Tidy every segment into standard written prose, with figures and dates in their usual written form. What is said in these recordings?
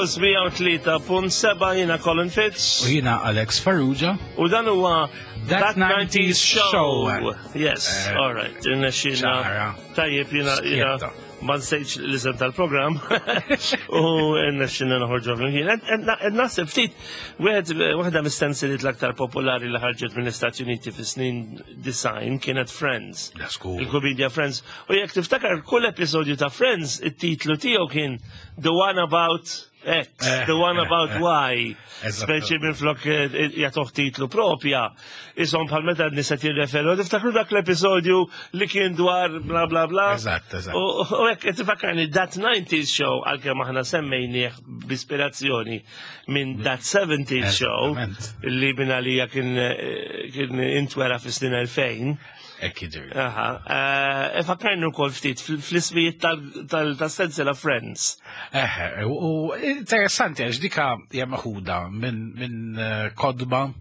Pulse 103.7 jiena Colin Fitz. U jiena Alex Farrugia. U dan huwa That 90s Show. Yes, all right. Irnexxina. Tajjeb jiena jiena ma nsejtx l-isem tal-programm u rnexxina noħorġu flimkien. Qed naħseb ftit wieħed waħda mis-sensilit l-aktar popolari li ħarġet mill-Istati Uniti fis-snin design kienet Friends. Il-komedja Friends. U jekk tiftakar kull episodju ta' Friends, it-titlu tiegħu kien The One About X, The One About Y. Speċi minn flok jagħtuh titlu propja. Isom bħal meta n-nies qed jirreferu, tiftakru dak l-episodju li kien dwar bla bla bla. Eżatt, eżatt. U hekk qed tifakkarni That 90s Show għalkemm aħna semmejnieh b'ispirazzjoni minn That 70s Show li minn għalija kien kien intwera fis-snin 2000. Hekk jiġri. Aha. Ifakkarni wkoll ftit fl-ismijiet tas-sensiela Friends. Eħe, u interessanti għax dika hija meħuda minn kodba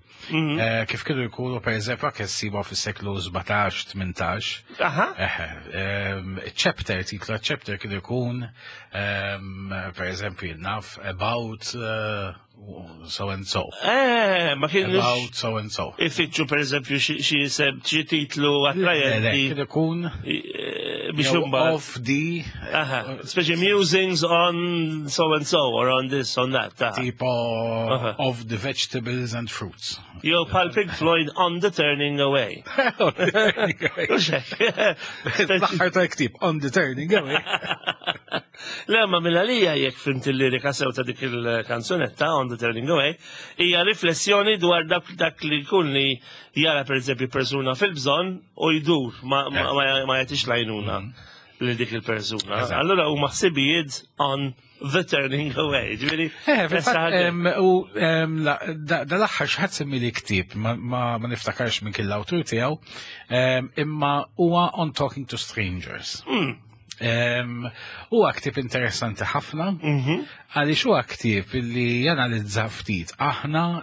kif kienu jkunu per eżempju anke ssibuha fis-seklu 17, 18. Aha. Eħe, chapter, titlu chapter kienu jkun per eżempju naf about so and so. Ma kienx. About so and so. Ifittxu per eżempju xi isem, xi titlu attrajenti. Kien ikun biex imbagħad. Of the. Aha, speċi musings on so and so or on this on that. Tipo of the vegetables and fruits. Jew bħal Pink Floyd on the turning away. L-aħħar ta' ktib on the turning away. Le, ma mill-għalija jekk fimt il-lirika sew ta' dik il-kanzunetta On the Turning Away, hija riflessjoni dwar dak, dak li jkun li jara per eżempju persuna fil-bżonn u jdur ma, ma, ma, ma jagħtix lajnuna lil dik il-persuna. Allura huma ħsibijiet on the turning away. Ġifieri, Eh, u dal-aħħar xi ħadd semmi li ktieb ma, ma, ma niftakarx minn kien l-awtur tiegħu, imma huwa On Talking to Strangers. Huwa ktieb interessanti ħafna, għaliex huwa ktieb li janalizza ftit aħna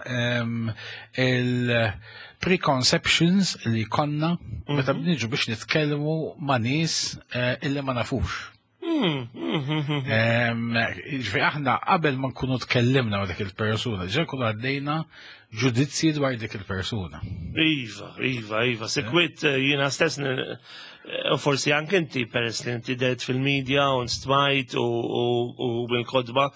il-preconceptions li konna meta niġu biex nitkellmu ma' nies illi ma nafux. Ġifieri aħna qabel ma nkunu tkellimna ma' dik il-persuna, ġa nkunu għaddejna ġudizzji dwar dik il-persuna. Iva, iva, iva. Sekwit jiena stess u forsi anke inti peress li inti dert fil-medja u nstmajt u bil-kodba.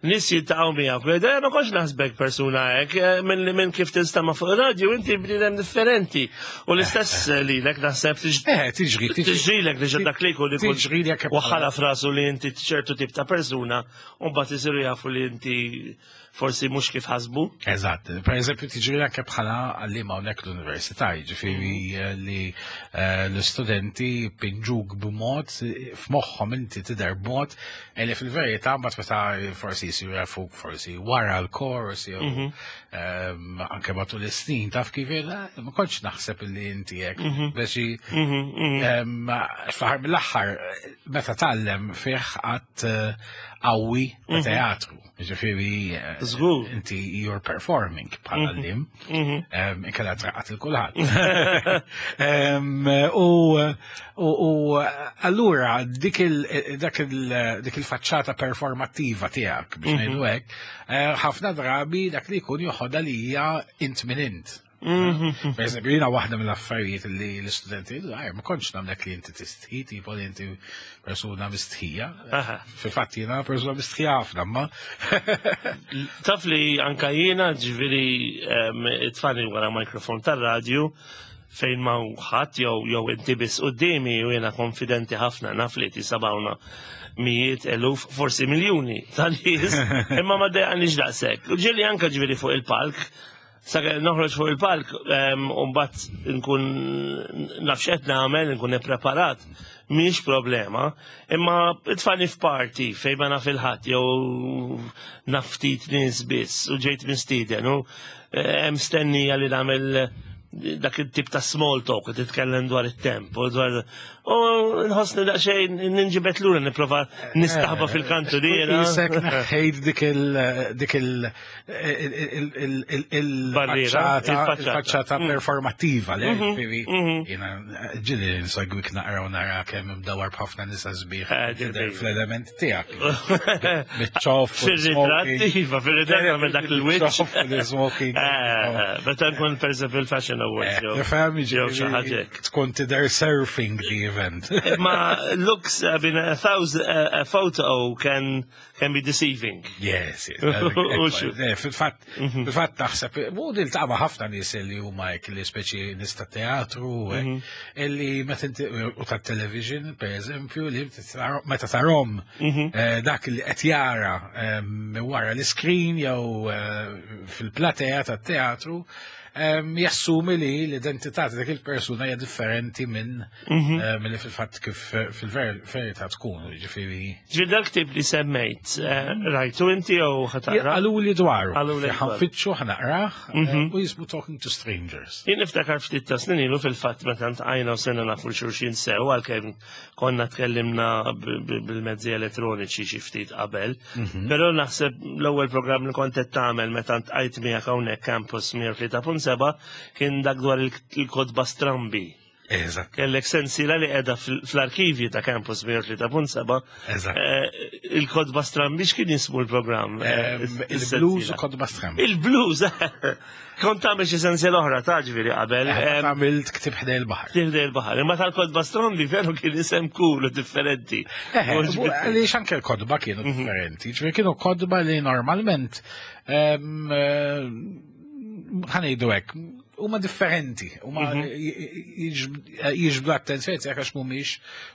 Nis jiltaqgħu miegħek, u jgħidu, ma kontx naħsbek persuna hekk, minn kif tinstama' fuq ir-radju inti bniedem differenti. U l-istess lilek naħseb Tiġri, tiġri. Tiġrilek li dak li jkun ikun Tiġri li jekk waħħala f'rasu li inti ċertu tip ta' persuna u mbagħad isiru jafu li inti forsi mhux kif ħasbu. Eżatt. Per eżempju, tiġri anke bħala għalliema hawnhekk l-università, jiġifieri li l-istudenti pinġuk b'mod f'moħħhom inti tidher b'mod li fil-verità mbagħad meta forsi jsiru jafuk forsi wara l-kors jew anke matul is-snin taf kif ma kontx naħseb li inti hekk biex fl-aħħar mill-aħħar meta tgħallem fih qatt qawwi ta' teatru. Ġifieri Żgur. inti you're performing bħala għalliem. Inkella traqqat il kulħadd. U allura dik dik il-faċċata performattiva tiegħek biex ngħidu hekk, ħafna drabi dak li jkun joħodha li hija int min int. Per eżempju, jiena waħda mill-affarijiet li l-istudenti jgħidu, ma kontx nagħmlek li inti tistħi, tipo li inti persuna mistħija. Fil-fatt jiena persuna mistħija ħafna, ma. Taf li anka jiena ġifieri it-tfani wara mikrofon tar-radju fejn ma ħadd jew inti biss quddiemi u jiena konfidenti ħafna naf li tisabawna mijiet, eluf, forsi miljuni ta' nies, imma ma dejqanix daqshekk. U ġieli anka ġifieri fuq il-palk, sakemm noħroġ fuq il-palk, u mbagħad nkun naf x'qed nagħmel, nkun ippreparat, mhix problema, imma tfani f'party fejn ma naf il-ħadd jew naf ftit nies biss u ġejt mistieden u hemm stennija li nagħmel Dak it-tip ta' small talk, titkellem dwar it-temp, u dwar. U nħossni daqsxejn ninġibet lura nipprova nistaħba eh, fil-kantuniera. Isek neħħejt dik il dik il il-barriera, il-faċċata mm. performattiva li mhm, ġifieri mhm. jiena ġieli nsegwik naqra u nara kemm imdawar b'ħafna nisa sbieħ eh, fl-element tiegħek. Biċ-ċoff. Fir-ritratt, iva, fir-ritratt għamel dak il-wiċċ. Smoking. Eh, meta nkun per eżempju il-Fashion Awards. Eh, fem, jew xi ħaġa. Tkun tidher surfing the event. Ma looks, I mean, a thousand, a photo can can be deceiving. Yes, yes. Eh, fil-fatt, mhm. fil-fatt naħseb, u niltaqa' ħafna nies li huma hekk li speċi nies ta' teatru, mhm. illi meta u ta' television, per eżempju, li meta tarom mhm. eh, dak li qed jara eh, wara l-iskrin jew fil-platea tat-teatru, jassumi li l-identità ta' dik il-persuna hija differenti minn mhm. eh, milli fil-fatt kif eh, fil-verità tkun, ġifieri. Ġifieri dak tip li semmejt, eh, rajtu inti jew ħataqra? Għaluli dwaru. Għaluli ħanfittxu ħnaqrah mhm. u jismu Talking to Strangers. Jien niftakar ftit ta' snin ilu fil-fatt meta ntqajna u sena nafu xulxin sew għalkemm konna tkellimna bil-mezzi elettroniċi xi ftit qabel. Mhm. Però naħseb l-ewwel programm li kont qed tagħmel meta ntqajt miegħek hawnhekk Campus 103.7 kien dak dwar il-kotba strambi. Eżatt. Kellek sensiela li qiegħda fl-arkivji ta' Campus 103.7. Eżatt. Eh, il-kodba strambi x'kien jismu l-programm? Eh, il-blues u kodba strambi. Il-blues! Kont tagħmel xi sensiela oħra ta' ġifieri qabel. Eh, għamilt ktib ħdej il-baħar. Ktib ħdej il-baħar. Imma tal-kodba strambi veru kien isem cool u differenti. Għaliex anke l-kodba kienu mhm. differenti. Ġifieri kienu kodba li normalment ħanejdu hekk, huma differenti, huma mhm. jiġbdu attenzjoni tiegħek għax mhumiex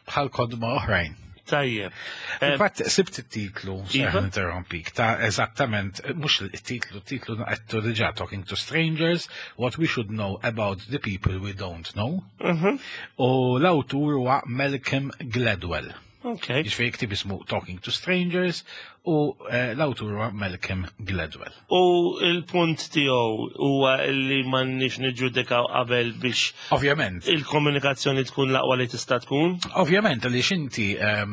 bħal kodba oħrajn. Tajjeb. Eh, Fatt sibt it-titlu, iva. interrompik, ta' eżattament, mhux it-titlu, titlu għettu diġà Talking to Strangers, What We Should Know About the People We Don't Know. Mhm. U l-awtur huwa Malcolm Gladwell. Okay. Jiġifieri ktib ismu Talking to Strangers u eh, l-awtur huwa Malcolm Gladwell. U il-punt tiegħu huwa li m'għandniex niġġudikaw qabel biex Ovvjament. Il-komunikazzjoni tkun l-aqwa li tista' tkun? Ovvjament li xinti eh,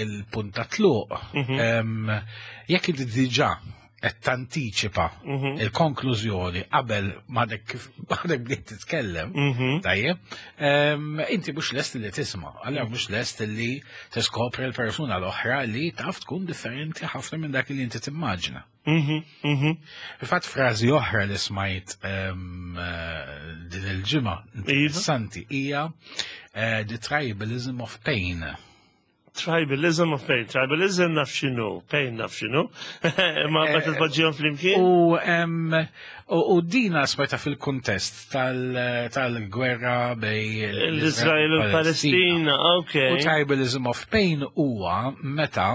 il-punt ta' tluq mhm. jekk inti diġà qed tantiċipa mhm. il-konklużjoni qabel m'għadek kif għadek bdiet titkellem, mhm. tajjeb, inti mhux lest li tisma', allura mhux lest li tiskopri l-persuna l-oħra li taf tkun differenti ħafna minn dak li inti timmaġina. Mhm, Fil-fatt frażi oħra li smajt eh, din il-ġimgħa iva. interessanti hija eh, the tribalism of pain. Tribalism of pain. Tribalism naf xinu, pain naf xinu. Ma meta eh, tpoġġihom flimkien. U dina smajta fil-kuntest tal-gwerra bej l-Izrael u l-Palestina. Ok. U tribalism of pain huwa meta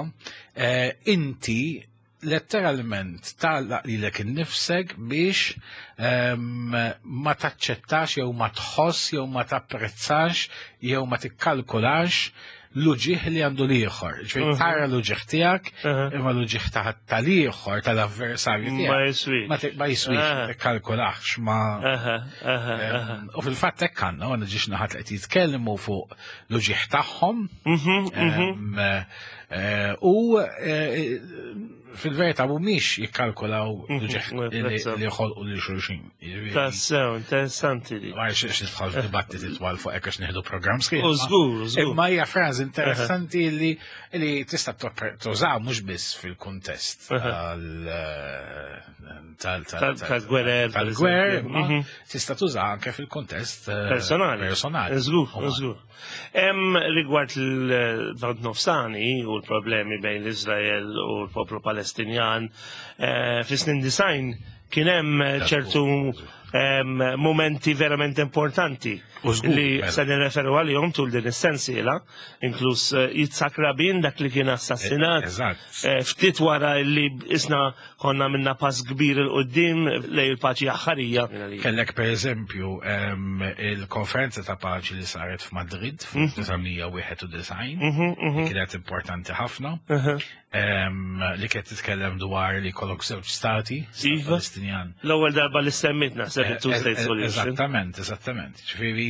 eh, inti letteralment tagħlaq lilek innifsek biex ehm, ma taċċettax jew ma tħoss jew ma tapprezzax jew ma tikkalkulax l-uġieħ li għandu l-ieħor. Ġifieri mhm. tara l-uġieħ tiegħek, mhm. imma l-uġieħ tal-ieħor tal-avversarju tiegħek. Ma jiswix. Ma jiswix, ma tikkalkulax ma. Ehm, u fil-fatt hekk għandna, għandna ġiex naħat li qed jitkellmu fuq l-uġieħ tagħhom. Mhm, ehm, Eh, u eh, fil-verità mhumiex jikkalkulaw mhm, li jħolqu lil xulxin. Tassew, interessanti li. Ma jxiex nidħol f'dibattiti twal fuq hekk għax nieħdu programm sħiħ. U żgur, żgur. Imma hija frażi interessanti li li tista' tuża mhux biss fil-kuntest tal-gwerer. Tal-gwerer, mhm. tista' tuża anke fil-kuntest eh, personali. Personali. Żgur, żgur. Hemm rigward il-Lvant Nofsani u l-problemi bejn l-Iżrael u l-poplu Palestinjan, eh, fis-snin design kien hemm ċertu momenti verament importanti li mela. se nirreferu għalihom tul din is-sensiela, inkluż eh, Yitzhak Rabin dak li kien assassinat eh, eh, ftit wara li isna konna minna pass kbir il-qoddim lej il-paċi aħħarija. Kellek per eżempju il-konferenza ta' paċi li saret f'Madrid f'1991, mhm, mhm. kienet importanti ħafna. Li kienet titkellem dwar li jkollok żewġ stati, stat Palestinjan. L-ewwel darba li semmit naħseb it-two state solution. Eżattament, eżattament. Ġifieri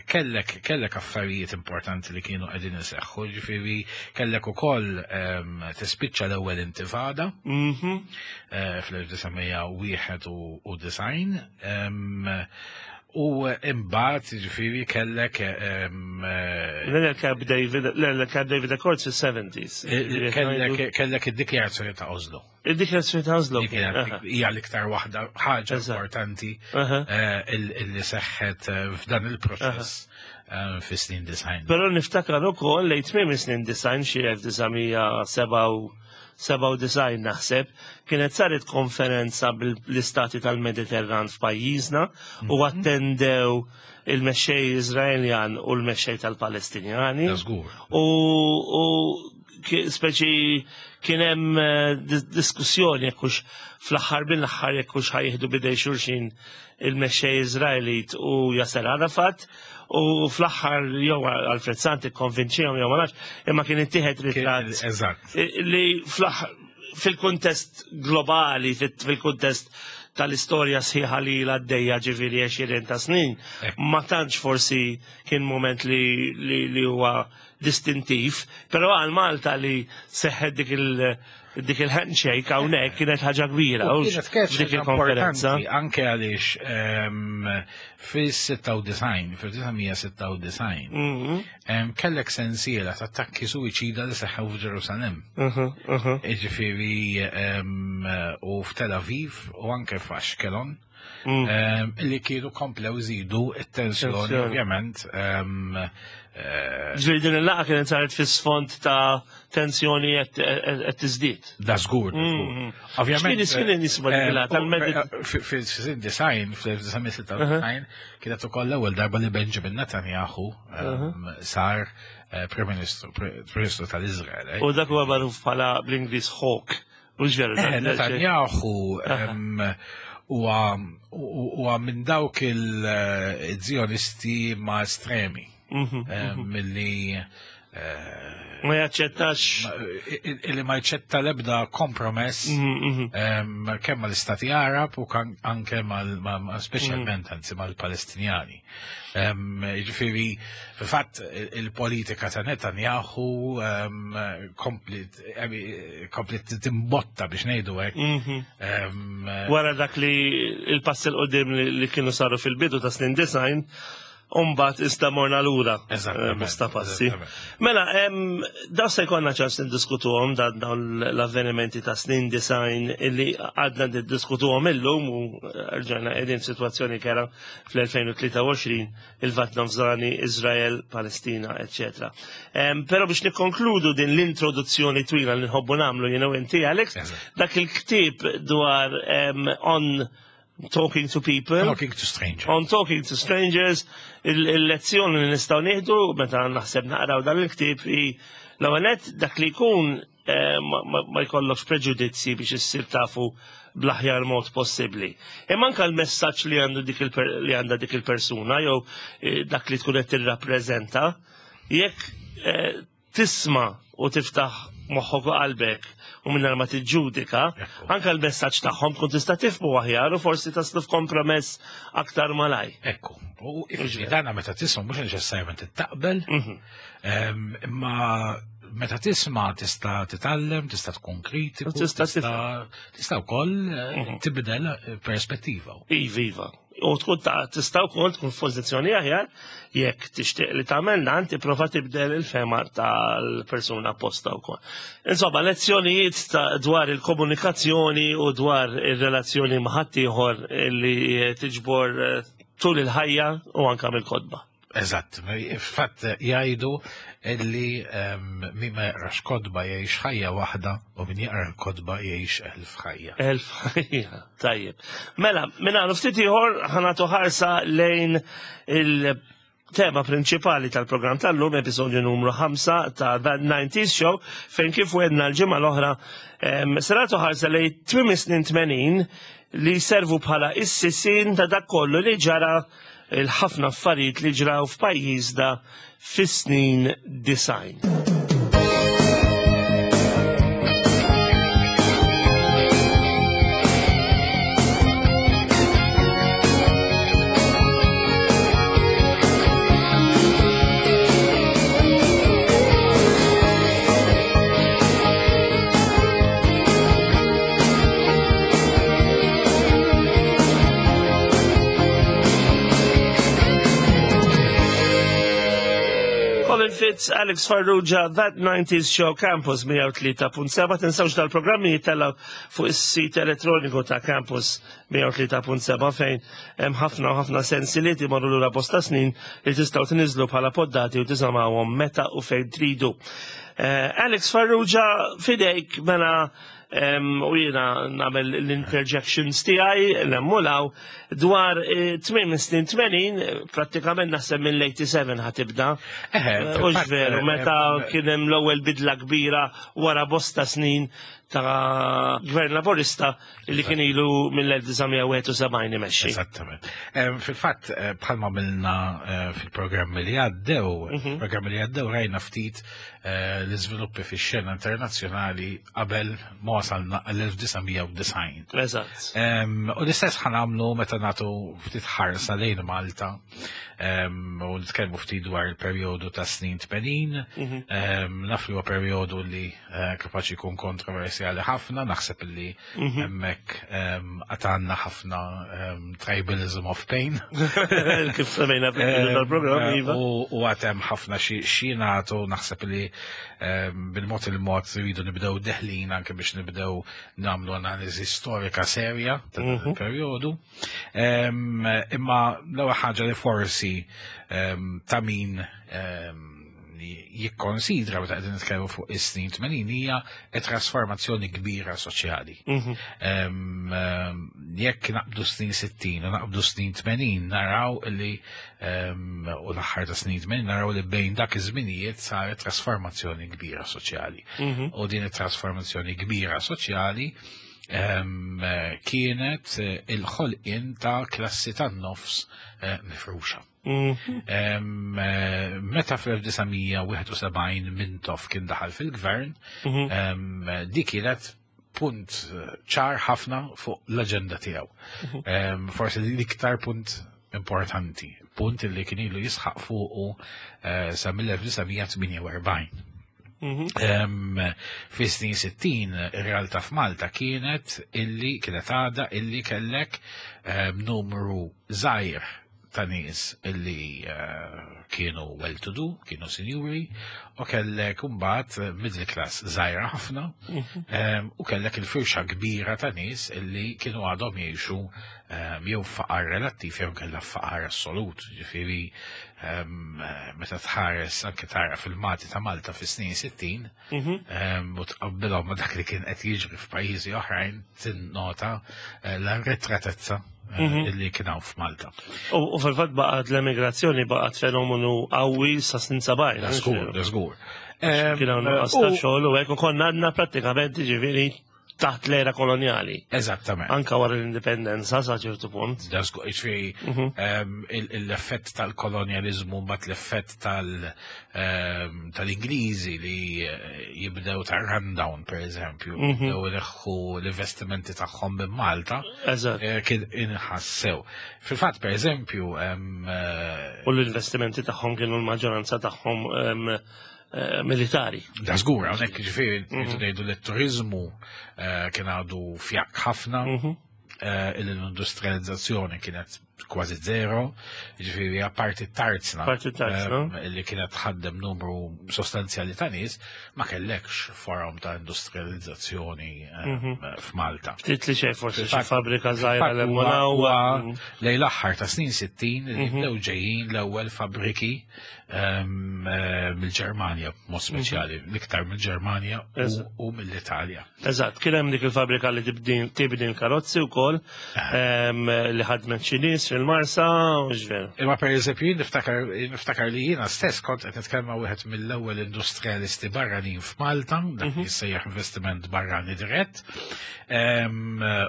kellek affarijiet importanti li kienu qegħdin iseħħu, ġifieri kellek ukoll tispiċċa l-ewwel intifada fl-1991 u imbagħad ġifieri kellek Le Camp David, le Camp David Accords fis-70s. Kellek id-dikjarazzjoni ta' Oslo. Id-dikjarazzjoni ta' Oslo. Dik hija l-iktar waħda ħaġa importanti illi seħħet f'dan il-proċess fis-snin 90. Però niftakar ukoll lejn tmiem is-snin 90 xi 1997 naħseb, kienet saret konferenza bl-istati tal-Mediterran f'pajjiżna u attendew il-mexxej Iżraeljan u l-mexxej tal-Palestinjani. Żgur. U speċi kien hemm diskussjoni jekk hux fl-aħħar mill-aħħar jekk hux ħa jieħdu b'idejn xulxin il-mexxej Iżraelit u Yasser Arafat, u fl-aħħar jew Alfred Sant ikkonvinċihom jew ma nafx, imma kien ittieħed ritratt li fl-aħħar fil-kuntest globali, fil-kuntest tal-istorja sħiħa li l-għaddejja ġifieri 20 ta' snin, ma tantx forsi kien moment li huwa distintiv, però għal Malta li seħħet dik il-handshake hawnhekk kienet ħaġa kbira, U u kienet kienet dik ħaġa il-konferenza. importanti anke għaliex fis-96, fil-1996, kellek sensiela ta' attakki suwiċida li seħħew f'Ġerusalem. Ġifieri, u f'Tel Aviv u anke f'Ashkelon, li kienu komplew żidu it-tensjoni, Tensjoni. ovvjament. Ġifieri din il-laqgħa kienet saret fis-sfond ta' tensjoni qed tiżdied. Da żgur, da żgur. Ovvjament, X'kien nisma' dik il-laqgħa tal-Medit- fis-design, fl-1996, kienet ukoll l-ewwel darba li Benjamin Netanyahu sar Prim Ministru, Prim Ministru tal-Iżrael. U dak huwa magħruf bħala bl-Ingliż Hawk. Mhux veru, dak- Netanyahu huwa minn dawk il-Zionisti ma' estremi. Milli Ma jaċċettax. Illi ma jaċċetta l-ebda kompromess kemm mal-Istati Arab u anke speċjalment anzi mal-Palestinjani. Jiġifieri, fil-fatt il-politika ta' Netanyahu komplit timbotta biex ngħidu hekk. Wara dak li il-pass 'il quddiem li kienu saru fil-bidu ta' snin 90, Umbat issa morna lura. Bosta passi. Mela, daw se jkollna ċans niddiskutuhom dawn l-avvenimenti ta' snin 90 illi għadna niddiskutuhom illum u rġajna qegħdin f'sitwazzjoni kera fl-2023, il-Lvant Nofsani, Izrael, Palestina, eccetera. Però biex nikkonkludu din l-introduzzjoni twila li nħobbu nagħmlu jiena u inti, Alex, dak il-ktieb dwar on Talking to People. Talking to Strangers. On Talking to Strangers, il-lezzjoni li nistgħu nieħdu meta naħseb naqraw dan il-ktieb hi l-ewwel nett dak li jkun ma jkollokx preġudizzi biex issir tafu bl-aħjar mod possibbli. Imma anke l-messaġġ li għandu dik li għandha dik il-persuna jew dak li tkun qed tirrappreżenta, jekk tisma' u tiftaħ moħħok u qalbek u mingħajr ma tiġġudika, anke l-messaġġ tagħhom tkun tista' tifhmu aħjar u forsi taslu f'kompromess aktar malaj. Ekku, u ifni dana meta tisma' mhux neċessarjament taqbel, imma meta tisma' tista' titgħallem, tista' tkun kritiku, U tista' tifhem. tista' wkoll tibdel perspettiva. Iva, iva. U tkun tista' wkoll tkun f'pożizzjoni aħjar jekk tixtieq li tagħmel dan tipprova tibdel il-fema tal-persuna apposta wkoll. Insomma, lezzjonijiet dwar il-komunikazzjoni u dwar ir-relazzjoni ma' ħaddieħor li tiġbor tul il-ħajja u anke mill-kotba. Eżatt, fatt jgħidu illi min ma jaqrax kotba jgħix ħajja waħda u min jaqra l-kotba jgħix 1000 ħajja. 1000 ħajja, tajjeb. Mela, minn hawn ftit ieħor ħa nagħtu ħarsa lejn il-tema prinċipali tal-programm tal-lum, episodju numru 5 ta' That 90s Show, fejn kif wedna l-ġimgħa l-oħra, se nagħtu ħarsa lejn tmiem is-snin 80 li servu bħala is-sisien ta' dak kollu li ġara il-ħafna affarijiet li ġraw f'pajjiżna fis-snin 90. Fitz, Alex Farrugia, That 90s Show Campus 103.7. Tinsawx dal-programmi jittella fuq is-sit elettroniku ta' Campus 103.7 fejn hemm ħafna u ħafna sensiliet imorru lura bosta snin li tistgħu tniżlu bħala poddati u tisamgħuhom meta u fejn tridu. Eh, Alex Farrugia, fidejk mela u jiena nagħmel l-interjections tiegħi nemmulaw dwar eh, tmiem snin 80 prattikament naħseb mill-87 ħatibda. Eh, u veru, meta kien hemm l-ewwel bidla kbira wara bosta snin ta' gvern laburista li kien ilu mill-1971 imexxi. Esattament. Fil-fatt, eh, bħalma milna fil-programmi li għaddew, programmi li għaddew rajna ftit l-iżviluppi fix-xena internazzjonali qabel ma wasalna għall-1990. Eżatt. U l-istess ħanamlu meta nagħtu ftit ħarsa lejn Malta u nitkellmu ftit dwar il-perjodu ta' snin 80. Mhm. Naf li huwa perjodu li eh, kapaċi jkun kontroversjali ħafna, naħseb li mhm. hemmhekk għatanna ħafna tribalism of pain. Kif semmejna fil-bidu tal-programm, iva. U għatem ħafna xi nagħtu naħseb li bil-mod il-mod rridu nibdew deħlin anke biex nibdew nagħmlu analiżi storika serja ta' dan mhm. il-perjodu. Imma l-ewwel ħaġa li forsi ta' min jikkonsidra meta qegħdin nitkellmu fuq is-snin 80 hija trasformazzjoni kbira soċjali. Mhm. Jekk naqbdu snin 60 u naqbdu snin 80 naraw li u l-aħħar ta' snin 80 naraw li bejn dak iż-żminijiet saret trasformazzjoni kbira soċjali. Mhm. U din it-trasformazzjoni kbira soċjali kienet il-ħolqien ta' klassi tan-nofs eh, mifruxa. Mhm. Eh, meta fl-1971 Mintoff kien daħal fil-gvern, mhm. dik kienet punt ċar ħafna fuq l-aġenda tiegħu. Mhm. Forsi l-iktar punt importanti, punt li kien ilu jisħaq fuqu eh, sa mill-1948. Mhm. Fi snin 60 ir-realtà f'Malta kienet illi kienet għada illi kellek numru żgħir ta' nies illi eh, kienu well-to-do, kienu sinjuri, u kellek imbagħad middle class żgħira ħafna, mhm. u kellek il-firxa kbira ta' nies illi kienu għadhom jgħixu jew faqar relattiv jew kellha faqar assolut, ġifieri meta tħares anke tara fil-mati ta' Malta fis-snin 60 mhm. u tqabbilhom ma' dak li kien qed jiġri f'pajjiżi oħrajn tinnota eh, l-arretratezza eh, mhm. li kien hawn f'Malta. U fil-fatt baqgħet l-emigrazzjoni baqgħet fenomenu qawwi sa snin 70. Żgur, żgur. Kien hawn nuqqas ta' xogħol u hekk u konna għandna prattikament ġifieri taħt l-era koloniali. Eżattament. Anka wara l-indipendenza sa ċertu punt. Dażgur, ġifieri mhm. l-effett tal-kolonjalizmu mbagħad l-effett ehm, tal-Ingliżi li eh, jibdew ta' rundown per eżempju, mhm. jibdew ineħħu l-investimenti tagħhom minn Malta. Eżatt. Eh, kien inħassew. Fil-fatt per eżempju eh, U l-investimenti tagħhom kienu l-maġġoranza tagħhom Eh, militari. Da żgur, hawnhekk ġifieri mhm. ngħidu li t-turiżmu eh, kien għadu fjak ħafna, mhm. eh, l-industrializzazzjoni kienet kważi zero, ġifieri apparti tarzna. Parti tarzna. Li kienet tħaddem numru sostanzjali ta' nies, ma kellekx forum ta' industrializzazzjoni mhm. f'Malta. Ftit li xejn forsi xi fabbrika żgħira l Lejn l-aħħar ta' snin 60 li bdew ġejjin l-ewwel fabbriki Eh, mill-Ġermanja, mod speċjali, mhm. l-iktar mill-Ġermanja u mill-Italja. Eżatt, kien hemm dik il-fabrika li tibni l-karozzi wkoll eh. li ħadmet xi nies fil-Marsa u ġveru. Imma pereżempju niftakar li jiena stess kont qed nitkellem wieħed mill-ewwel industrialisti barranin f'Malta, dak li mhm. jissejjaħ investiment barrani dirett,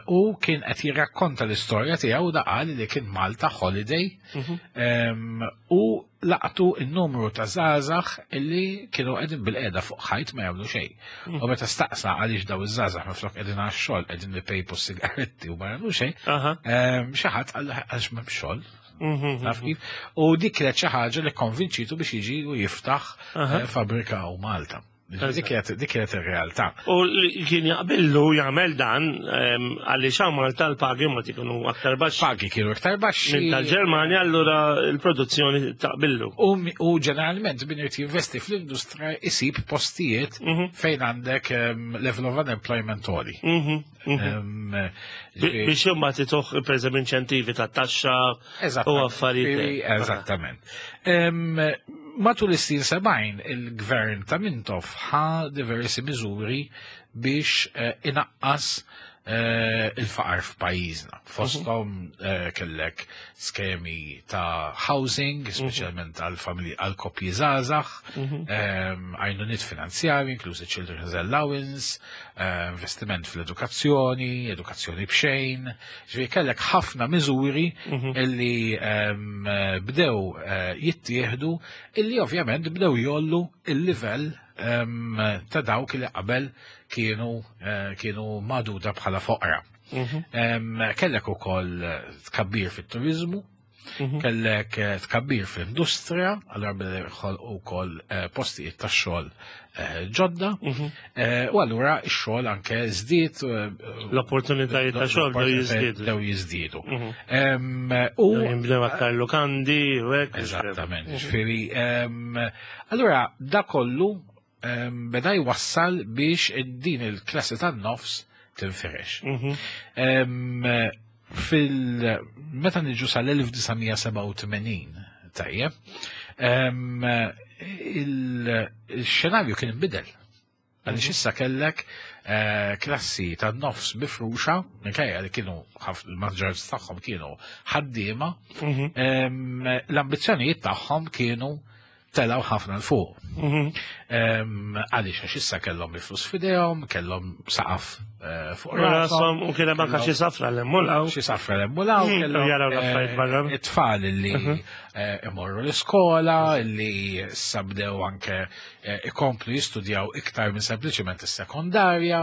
u kien qed jirrakkonta l-istorja tiegħu da qal li kien Malta holiday mhm. U laqtu n-numru ta' żgħażagħ illi kienu qegħdin bil-qiegħda fuq ħajt ma jagħmlu xejn. Mm. U meta staqsa għaliex daw iż-żgħażagħ minflok qegħdin għax-xogħol qegħdin ipejpu sigaretti u ma jagħmlu xejn, xi ħadd qal għaliex m'hemm xogħol. Mhm, Taf mhm. kif? U dik kienet xi ħaġa li konvinċitu biex jiġi u jiftaħ eh, fabbrika u Malta. Dik kienet ir-realtà. U li kien jaqbillu jagħmel dan għaliex hawn Malta l-pagi ma kienu aktar baxxi. Pagi kienu aktar baxxi. Minn tal-Ġermanja allura l-produzzjoni taqbillu. U ġeneralment min irid jinvesti fl-industrija isib postijiet mhm. fejn għandek level of unemployment għoli. Mhm, mhm. Biex jumma tituħ per eżempju inċentivi ta' taxxa u affarijiet. Eżattament. Matul is-snin 70 il-gvern ta' Mintoff ħa diversi miżuri biex eh, inaqqas eh, il-faqar f'pajjiżna. Fosthom eh, kellek skemi ta' housing, mhm. speċjalment għal familji għal koppji żgħażagħ, mhm. għajnuniet finanzjarji, inklużi children's allowance, investiment fl-edukazzjoni, edukazzjoni b'xejn, Ġifieri kellek ħafna miżuri mhm. illi ehm, bdew eh, jittieħdu illi ovvjament bdew jollu il-livell ehm, ta' dawk li qabel kienu eh, kienu maduda bħala foqra. Mhm. Ehm, kellek ukoll tkabbir fit-turizmu, Mhm. Kellek eh, tkabbir fl-industrija, allura bdew u wkoll eh, postijiet ta' xogħol eh, ġodda, mhm. u allura x-xogħol anke żdied. L-opportunitajiet ta' xogħol bdew jiżdiedu. Bdew jiżdiedu. Mhm. U bdew aktar lukandi u hekk. Eżattament. Ġifieri, allura da kollu beda jwassal biex din il-klassi tan-nofs tinfirex. Mhm. Fil meta niġu sal-1987 tajjeb, il-xenarju kien inbidel. Għaliex mhm. issa kellek eh, klassi ta' nofs mifruxa, minkejja li kienu il-maġġoranza tagħhom kienu ħaddiema, mhm. l-ambizzjonijiet tagħhom kienu telgħu ħafna 'l fuq. Mhm. Għaliex għax issa kellhom il-flus f'idejhom, kellhom saqaf eh, fuq rashom u kien hemm anke xi safra l-emmulaw. Xi safra l-emmulaw, mhm, kellhom jaraw l-affarijiet barra. Eh, it-tfal li mhm. eh, imorru l-iskola, li sabdew anke ikomplu jistudjaw iktar minn sempliċement is-sekondarja.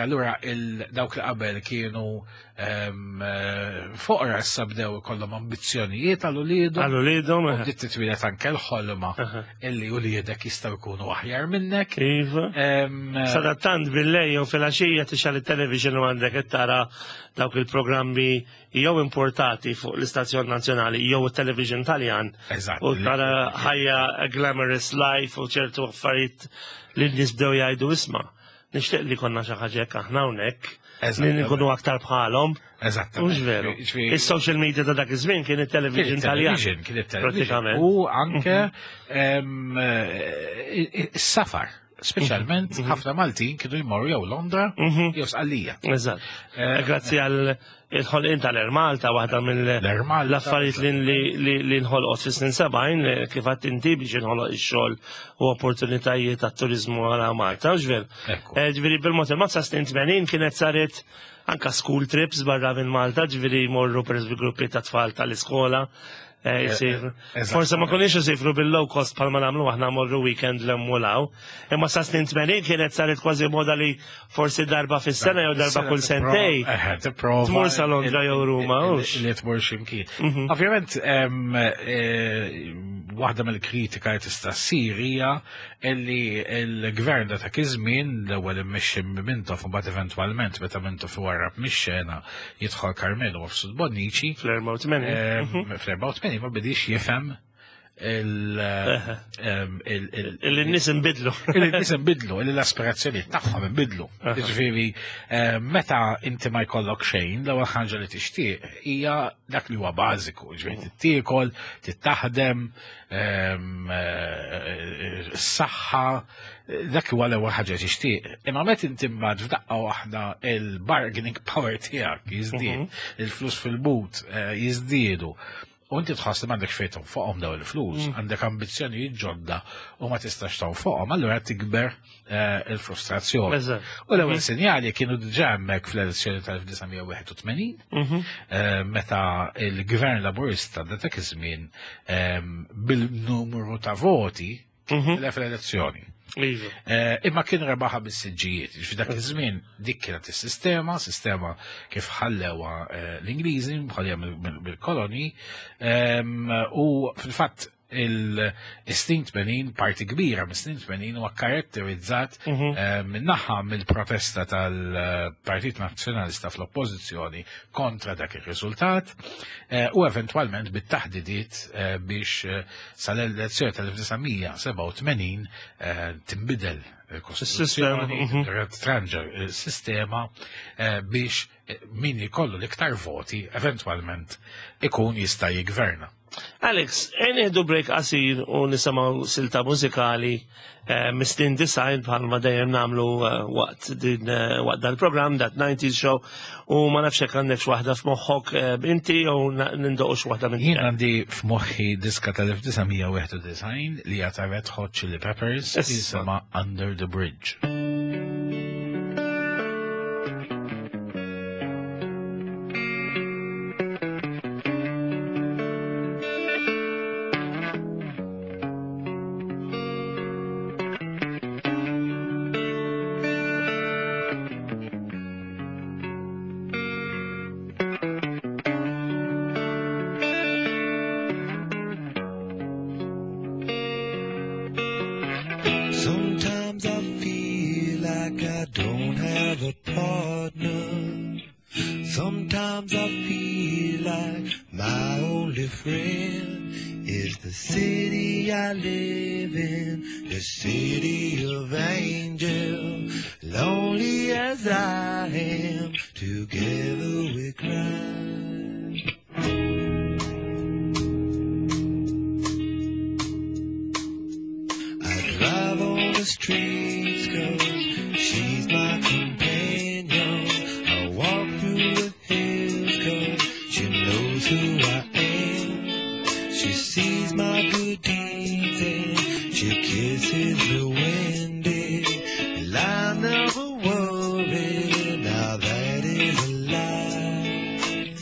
Allura dawk li qabel kienu Eh, foqra issa bdew ikollhom ambizzjonijiet għal uliedhom. Għal uliedhom. Eh. Bdiet titwieled anke l-ħolma illi uliedek jistgħu jkunu aħjar minnek. Iva. Sadattant bil-lejl jew filgħaxija tixgħal it-television u għandek qed tara dawk il-programmi jew importati fuq l-istazzjon nazzjonali jew it-television Taljan. Eżatt. U tara ħajja glamorous life u ċertu affarijiet li n-nies bdew jgħidu isma' Nixtieq li konna xi ħaġa hekk aħna hawnhekk. Li nkunu aktar bħalhom. Eżatt. Mhux veru. Is-social media ta' dak iż-żmien kien it-television Taljan. Kien it-television. U anke mhm. eh, is-safar. Speċjalment mhm. ħafna Maltin kienu jmorru jew Londra mhm. jew Sqallija. Eżatt. Eh, Grazzi għal Il-ħolqien tal-Air Malta waħda mill-affarijiet li nħolqot fis-snin 70 kif għadt inti biex inħoloq ix-xogħol u opportunitajiet għat-turiżmu għal Malta, hux veru? Eh, ġifieri bil-mod il-mod sa snin 80 kienet saret anka school trips barra minn Malta, ġifieri jmorru pereżempju gruppi ta' tfal tal-iskola Eh, eh, eh, Forse ma konniex isifru bil-low cost palma namlu aħna morru weekend l-emmulaw. Imma sa snin 80 kienet saret kważi moda li forsi darba fis-sena jew darba kull sentej. Tmur sa Londra jew Ruma. Li tmur ximkien. Mhm. Ovvjament, waħda mill-kritika li tista' ssir hija li l-gvern ta' dak iż-żmien l-ewwel immexxi Mintoff u mbagħad eventwalment meta Mintoff iwarrab mix-xena jidħol Karmenu Mifsud Bonnici. Fl-84. Fl-84 ma bidix jifhem il-nis imbidlu. Il-nis imbidlu, l-aspirazzjoni tagħhom imbidlu. Ġifieri, meta inti ma jkollok xejn, l-ewwel ħaġa li tixtieq hija dak li huwa bażiku, ġifieri tittiekel, tittaħdem, s-saħħa, dak huwa l-ewwel ħaġa tixtieq. Imma meta inti mbagħad f'daqqa waħda il-bargaining power tiegħek jiżdied, mhm. il-flus fil-but eh, jiżdiedu. U inti tħoss li m'għandekx fejn fuqhom daw il-flus, mm. għandek ambizzjonijiet ġodda u ma tistax fuqhom, allura tikber eh, il-frustrazzjoni. U l-ewwel mhm. sinjali kienu diġà hemmhekk fl-elezzjoni tal-1981, mhm. eh, meta il-Gvern Laburista dak iż-żmien bil-numru ta' voti mhm. tilef l-elezzjoni. Iva. Eh, imma kien rebaħa bis-siġġijiet, ġifi dak iż-żmien dik kienet is-sistema, sistema kif ħallewa eh, l-Ingliżi, bħalja mill-koloni, u fil-fatt il-snin 80, parti kbira mis-snin 80 huwa karatterizzat min-naħa mill-protesta tal-Partit Nazzjonalista fl-oppożizzjoni kontra dak ir-riżultat u eventwalment bit-taħdidiet biex sal-elezzjoni tal-1987 tinbidel il-Kostituzzjoni, tranġa il-sistema biex min jkollu l-iktar voti eventwalment ikun jista' jigverna. Alex, nieħdu break qasir u nisimgħu silta mużikali mis-snin 90 bħalma dejjem nagħmlu waqt din waqt dal-programm dat 90s Show, u ma nafx hekk għandek waħda f'moħħok inti jew nindoqux waħda minn Jien għandi f'moħħi diska tal-1991 li hija ta' Red Hot Chili Peppers jisimha Under the Bridge. Sometimes I feel like I don't have a partner. Sometimes I feel like my only friend is the city I live in, the city of angels. Lonely as I am, together we cry. I drive on the streets 'cause she's my companion. I walk through the hills 'cause she knows who I am. She sees my good deeds and she kisses the wind. Well, I never worry, now that is a lie.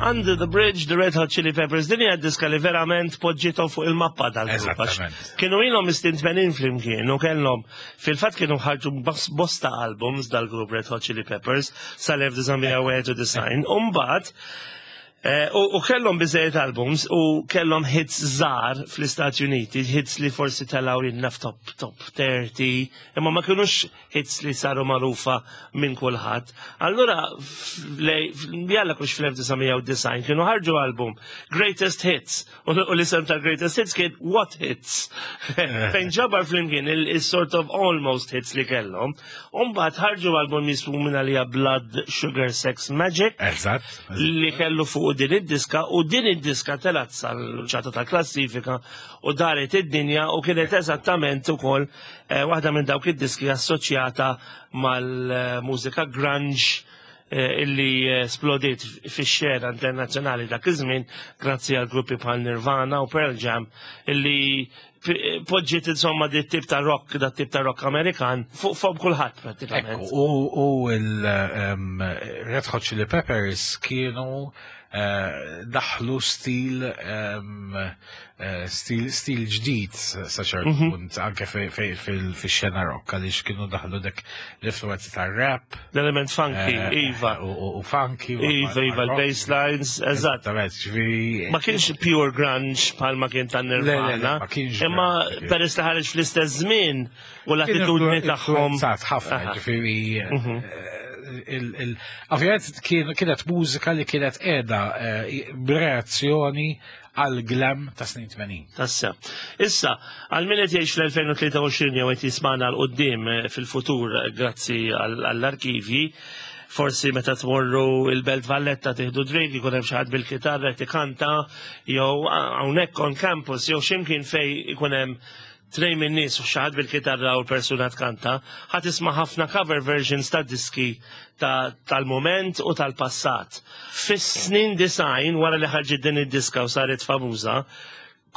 Under the Bridge, The Red Hot Chili Peppers, din hija diska li verament poġġiethom fuq il-mappa tal-grupp. Eżattament. Kienu ilhom is-snin 80 flimkien u kellhom fil-fatt kienu ħarġu bosta albums dal-grupp Red Hot Chili Peppers sal-1991. U mbagħad u kellhom biżejjed albums u kellhom hits żgħar fl-Istati Uniti, hits li forsi telgħu jinnna f'top top 30, imma ma kinux hits li saru magħrufa minn kulħadd. Allura jalla kux fl-1990 kienu ħarġu album Greatest Hits u l-isem tal-Greatest Hits kien What Hits, fejn ġabar flimkien il-sort of almost hits li kellhom. U mbagħad ħarġu album jismu minn għalija Blood Sugar Sex Magik. Li kellu fuq din id-diska, u din id-diska telat sal-ċata tal-klassifika u daret id-dinja u kienet eżattament ukoll waħda minn dawk id-diski assoċjata mal-mużika grunge illi splodiet fix-xena internazzjonali dak iż-żmien grazzi għal gruppi bħal Nirvana u Pearl Jam, illi poġġiet insomma di tip ta' rock, da tip ta' rock Amerikan fuq fuq kulħadd prattikament. Ekku, u il-Red Hot Chili Peppers kienu daħlu stil ġdid sa ċertu punt anke fil-xena rock, għaliex kienu daħlu dak l-influenzi ta' rap. L-element funky, iva. U funky. Iva, iva, rock. L-bass lines, eżatt. Eżattament, ġifieri. Ma kienx pure grunge bħalma kien ta' Le, le, le, Nirvana. ma kienx Imma grunge, kien. peress li ħareġ fl-istess żmien u l-attitudni tagħhom. Influenzat ħafna, ġifieri. Ovvjament kienet mużika li kienet qiegħda b'reazzjoni għal glam ta' snin 80. Tassa. Issa, għal min qed jgħix fl-2023 jew qed jismana 'l quddiem fil-futur grazzi għall-arkivji, forsi meta tmorru il-Belt Valletta tieħdu drink ikun hemm xi ħadd bil-kitarra qed ikanta, jew hawnhekk on campus jew x'imkien fej ikun hemm tnejn minn nies u xi ħadd bil-kitarra u l-persuna tkanta, ħa tisma' ħafna cover versions ta' diski tal-moment u tal-passat. Fis-snin 90, wara li ħarġet din id-diska u saret famuża,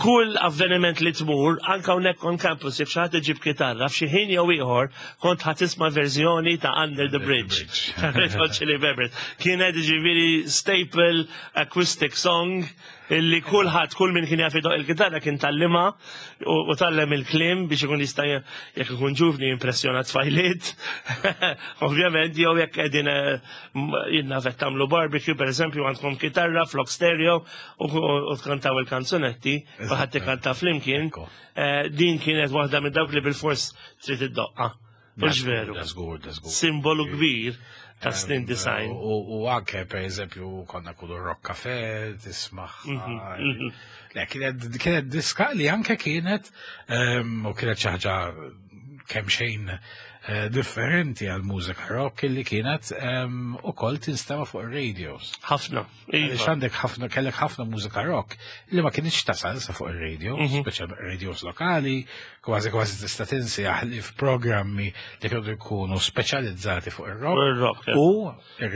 kull avveniment li tmur, anka hawnhekk on campus, jekk xi ħadd iġib kitarra, f'xi ħin jew ieħor kont ħa tisma' verżjoni ta' Under the Bridge. Red Hot Chili Peppers. Kienet ġifieri staple acoustic song illi kulħadd, kull min kien jaf idoq il-kitarra kien tgħallimha u tgħallem il-kliem biex ikun jista' jekk ikun ġuvni impressjona tfajliet. Ovvjament, jew jekk qegħdin jiena qed tagħmlu barbecue, pereżempju, għandkom kitarra flok stereo u tkantaw il-kanzunetti, u ħadd ikanta flimkien. Din kienet waħda minn dawk li bil-fors trid iddoqqa. Mhux veru? Da żgur, da żgur. Simbolu kbir ta' snin 90. U anke, per eżempju, konna kullu rock cafe, tismaħ. Le, kienet diska li anke kienet, u kienet xi ħaġa kemm xejn differenti għal mużika rock, li kienet ukoll tinstema' fuq ir-radios. Ħafna. Għaliex Iva. għandek ħafna, kellek ħafna mużika rock li ma kienx tasal sa fuq ir-radio, speċjalment radios lokali, kważi kważi tista' tinsi li f'programmi li kienu jkunu speċjalizzati fuq ir-rock. Fuq ir-rock, ja. U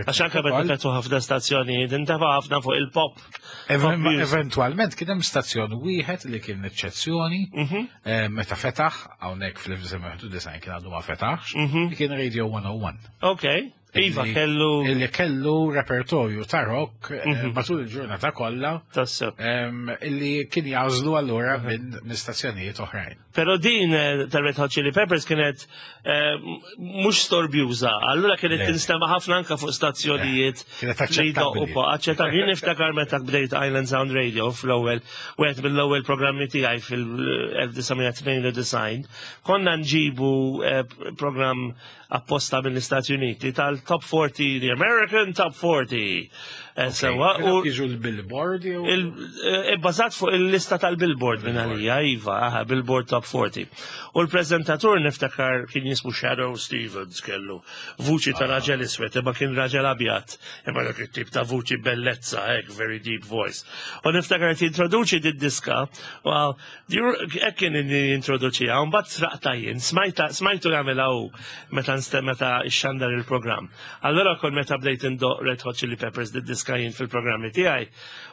Għax anke meta fetħu ħafna stazzjonijiet, intefa' ħafna fuq il-pop. Pop music. Eventualment kien hemm stazzjon wieħed li kien eċċezzjoni meta fetaħ hawnhekk fl-1991, kien għadu ma fetaħx, li kien Radio 101. Ok. Iva, kellu Illi kellu repertorju ta' rock matul il-ġurnata kollha illi kien jagħżlu allura minn stazzjonijiet oħrajn. Però din ta' Red Hot Chili Peppers kienet mhux storbjuża, allura kienet Le. tinstema' ħafna anka fuq stazzjonijiet Kienet li jdoqqu aċċettabbli. po' aċċettabbli. Jien niftakar meta bdejt Island Sound Radio fl-ewwel, wieħed mill-ewwel programmi tiegħi fil-1992, konna nġibu programm apposta mill-Istati Uniti tal-Top 40, the American Top 40. Sewa, Kienu u jiġu l-Billboard jew Bbażat fuq il-lista tal-Billboard minn għalija, iva, aha, Billboard Top 40. U l-prezentatur niftakar kien jismu Shadoe Stevens, kellu vuċi ta' raġel iswed, imma kien raġel abjad, imma dak it-tip ta' vuċi bellezza, hekk, very deep voice. U niftakar qed jintroduċi did-diska, u hekk kien jintroduċiha, u mbagħad sraqta jien, smajtu jagħmilha hu meta meta xandar il-programm. Allora kol meta bdejt indoq Red Hot Chili Peppers di diska jien fil-programmi tiegħi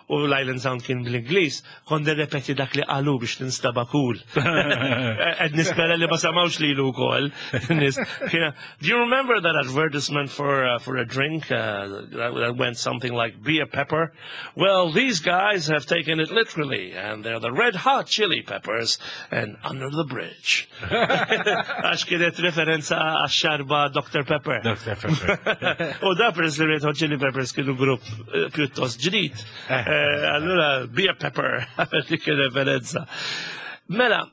u l-Island Sound kien bl-Ingliż, kont nirrepeti dak li qalu biex ninstaba cool. Qed nispera li ma samawx lilu wkoll. Do you remember that advertisement for uh, for a drink uh, that, that went something like be a pepper? Well, these guys have taken it literally and they're the red hot chili peppers and under the bridge. Għax kienet referenza għax-xarba Dr. Pepper. Dr. Pepper. U da peress li Red Hot Chili Peppers kienu grupp eh, pjuttost ġdid. Eh. Eh, allura, be a pepper, dik referenza. Mela,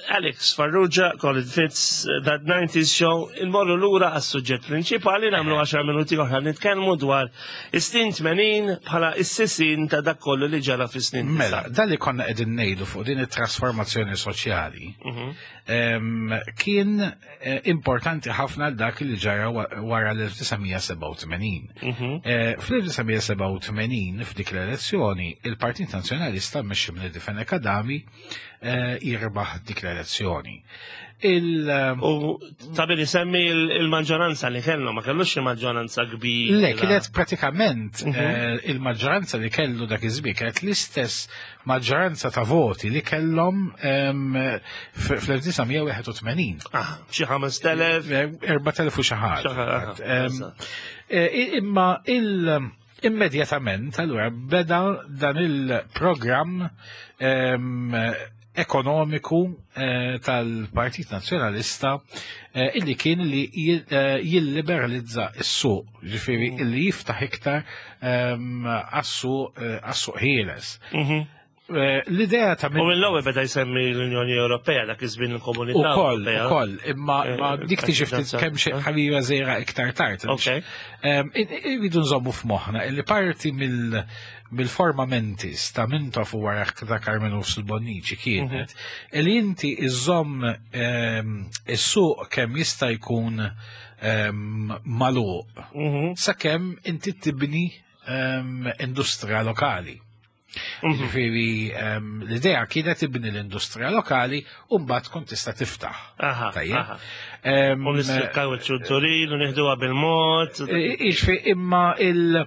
Alex Farrugia, Colin Fitz, That 90s Show, il-morru lura għas-suġġett prinċipali, namlu 10 minuti oħra nitkellmu dwar is-snin 80 bħala is-sisin ta' dak kollu li ġara fis-snin. Mela, dan li konna qegħdin ngħidu fuq din it-trasformazzjoni soċjali mhm. kien eh, importanti ħafna għal dak li ġara wara l-1987. Mhm. Eh, fl-1987 f'dik l-elezzjoni, il-Partit Nazzjonalista mmexxi minn Fenech Adami eh, jirbaħ dik l-elezzjoni. Il, eh, u ta' billi semmi il-maġġoranza li kellu, ma kellux xi maġġoranza kbira. Le, kienet pratikament mhm. eh, il-maġġoranza li kellu dak iż-żmien kienet l-istess maġġoranza ta' voti li kellhom fl-1981. Ah, xi 5000? 4000 u xi ħaġa. Imma il- Immedjatament, allura, beda dan il-programm ehm, ekonomiku eh, tal-Partit Nazzjonalista eh, illi kien li eh, jilliberalizza s-suq, ġifieri mm. illi jiftaħ iktar ehm, għas-suq ħieles. Mhm. Eh, l-idea ta' U mill-ewwel beda jsemmi l-Unjoni Ewropea dak iż-żmien il-Komunità. Ukoll, ukoll, imma eh, dik tiġi ftit kemm xi ħabiba żejra iktar tard. Irridu nżommu f'moħħna li parti mill-forma mentis ta' Mintoff u wara ta' Carmenu Bonnici kienet mhm. li inti iżomm ehm, is-suq kemm jista' jkun ehm, magħluq mhm. sakemm inti tibni ehm, industrija lokali. Mhm. Ġifieri ehm, l-idea kienet tibni l-industrija lokali u mbagħad tkun tista' tiftaħ. Tajjeb. Ehm, u nistikkaw iċ-ċunturin u nieħduha bil-mod. Jiġifieri imma il